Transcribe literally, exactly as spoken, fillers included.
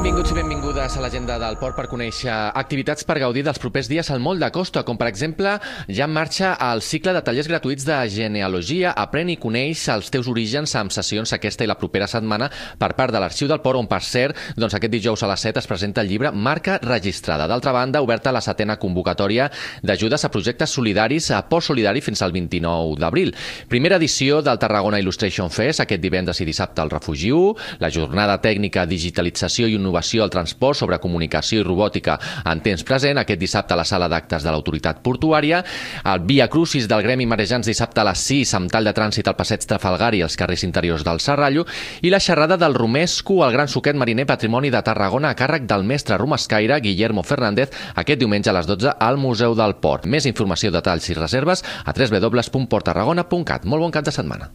Benvinguts i benvingudes a l'agenda del port per conèixer activitats per gaudir dels propers dies al Moll de Costa, com per exemple ja en marxa el cicle de tallers gratuïts de genealogia. Aprèn i coneix els teus orígens amb sessions aquesta i la propera setmana per part de l'Arxiu del Port, on per cert, doncs aquest dijous a les set es presenta el llibre Marca Registrada. D'altra banda, oberta la setena convocatòria d'ajudes a projectes solidaris a Port Solidari fins al vint-i-nou d'abril. Primera edició del Tarragona Illustration Fest, aquest divendres i dissabte al Refugi u, la jornada tècnica Digitalització i Innovació al transport sobre comunicació i robòtica en temps present, aquest dissabte a la sala d'actes de l'autoritat portuària, el Via Crucis del Gremi Marejants dissabte a les sis amb tall de trànsit al passeig Trafalgar i els carrers interiors del Serrallo, i la xerrada del Romesco, el gran suquet mariner patrimoni de Tarragona a càrrec del mestre romescaire Guillermo Fernández, aquest diumenge a les dotze al Museu del Port. Més informació, detalls i reserves a w w w punt port tarragona punt cat. Molt bon cap de setmana.